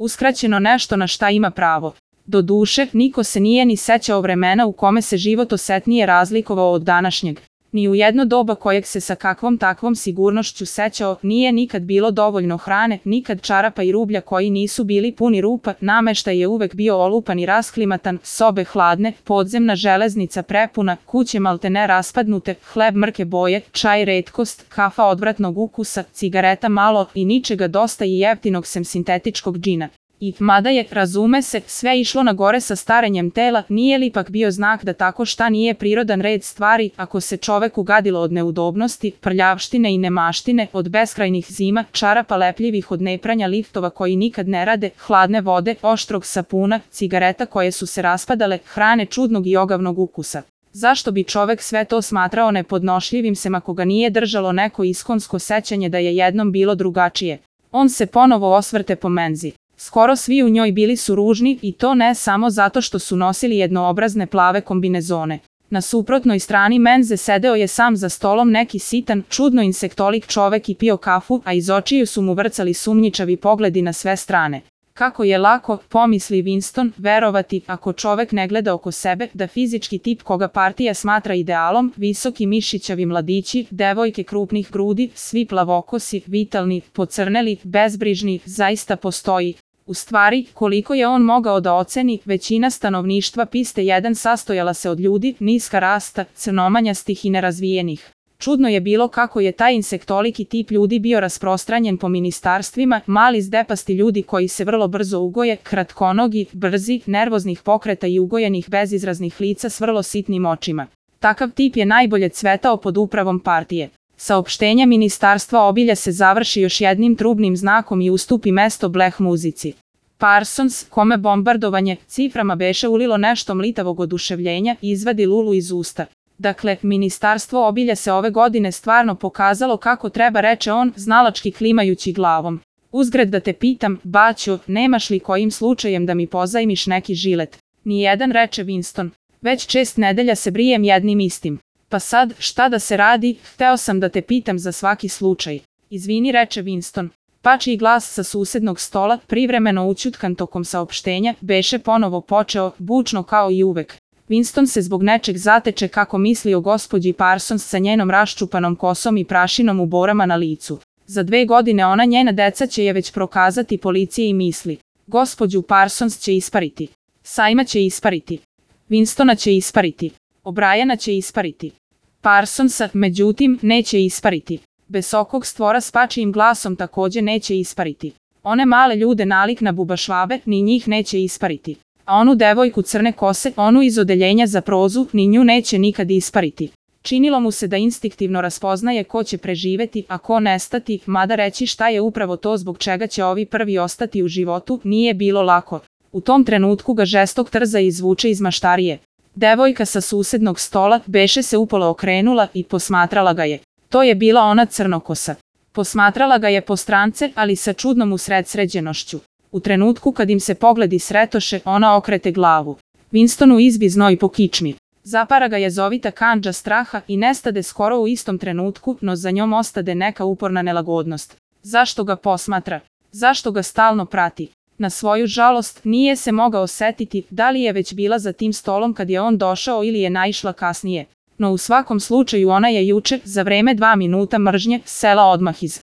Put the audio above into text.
uskraćeno nešto na šta ima pravo. Doduše, niko se nije ni sećao vremena u kome se život osetnije razlikovao od današnjeg. Ni u jedno doba kojeg se sa kakvom takvom sigurnošću sećao, nije nikad bilo dovoljno hrane, nikad čarapa i rublja koji nisu bili puni rupa, nameštaj je uvek bio olupan i rasklimatan, sobe hladne, podzemna železnica prepuna, kuće maltene raspadnute, hleb mrke boje, čaj retkost, kafa odvratnog ukusa, cigareta malo i ničega dosta i jeftinog sem sintetičkog džina. I, mada je, razume se, sve išlo na gore sa starenjem tela, nije li ipak bio znak da tako šta nije prirodan red stvari, ako se čoveku gadilo od neudobnosti, prljavštine i nemaštine, od beskrajnih zima, čarapa lepljivih od nepranja liftova koji nikad ne rade, hladne vode, oštrog sapuna, cigareta koje su se raspadale, hrane čudnog i ogavnog ukusa. Zašto bi čovek sve to smatrao nepodnošljivim sem ako ga nije držalo neko iskonsko sećanje da je jednom bilo drugačije? On se ponovo osvrte po menzi. Skoro svi u njoj bili su ružni i to ne samo zato što su nosili jednoobrazne plave kombinezone. Na suprotnoj strani menze sedeo je sam za stolom neki sitan, čudno insektolik čovek i pio kafu, a iz očiju su mu vrcali sumnjičavi pogledi na sve strane. Kako je lako, pomisli Winston, verovati, ako čovek ne gleda oko sebe, da fizički tip koga partija smatra idealom, visoki mišićavi mladići, devojke krupnih grudi, svi plavokosi, vitalni, pocrneli, bezbrižni, zaista postoji. U stvari, koliko je on mogao da oceni, većina stanovništva piste 1 sastojala se od ljudi, niska rasta, crnomanjastih i nerazvijenih. Čudno je bilo kako je taj insektoliki tip ljudi bio rasprostranjen po ministarstvima, mali zdepasti ljudi koji se vrlo brzo ugoje, kratkonogi, brzi, nervoznih pokreta i ugojenih bezizraznih lica s vrlo sitnim očima. Takav tip je najbolje cvetao pod upravom partije. Saopštenje ministarstva obilja se završi još jednim trubnim znakom i ustupi mesto bleh muzici. Parsons, kome bombardovanje ciframa beše ulilo nešto mlitavog oduševljenja, izvadi lulu iz usta. Dakle, ministarstvo obilja se ove godine stvarno pokazalo kako treba, reče on, znalački klimajući glavom. Uzgred da te pitam, baćo, nemaš li kojim slučajem da mi pozajmiš neki žilet? Nijedan, reče Winston. Već 6 nedelja se brijem jednim istim. Pa sad, šta da se radi, hteo sam da te pitam za svaki slučaj. Izvini, reče Winston. Pačiji glas sa susednog stola, privremeno ućutkan tokom saopštenja, beše ponovo počeo, bučno kao i uvek. Winston se zbog nečeg zateče kako misli o gospođi Parsons sa njenom raščupanom kosom i prašinom u borama na licu. Za 2 godine ona njena deca će je već prokazati policiji i misli. Gospođu Parsons će ispariti. Sajma će ispariti. Winstona će ispariti. O'Briana će ispariti. Parsonsa, međutim, neće ispariti. Besokog stvora s pačijim glasom takođe neće ispariti. One male ljude nalik na bubašvabe, ni njih neće ispariti. A onu devojku crne kose, onu iz odeljenja za prozu, ni nju neće nikad ispariti. Činilo mu se da instinktivno raspoznaje ko će preživeti, a ko nestati, mada reći šta je upravo to zbog čega će ovi prvi ostati u životu, nije bilo lako. U tom trenutku ga žestok trza izvuče iz maštarije. Devojka sa susednog stola beše se upola okrenula i posmatrala ga je. To je bila ona crnokosa. Posmatrala ga je po strance, ali sa čudnom usredsređenošću. U trenutku kad im se pogledi sretoše, ona okrete glavu. Winstonu izbi znoj po kičmi. Zapara ga jezovita kandža straha i nestade skoro u istom trenutku, no za njom ostade neka uporna nelagodnost. Zašto ga posmatra? Zašto ga stalno prati? Na svoju žalost, nije se mogao setiti da li je već bila za tim stolom kad je on došao ili je naišla kasnije. No u svakom slučaju ona je juče, za vreme 2 minuta mržnje, sela odmah iz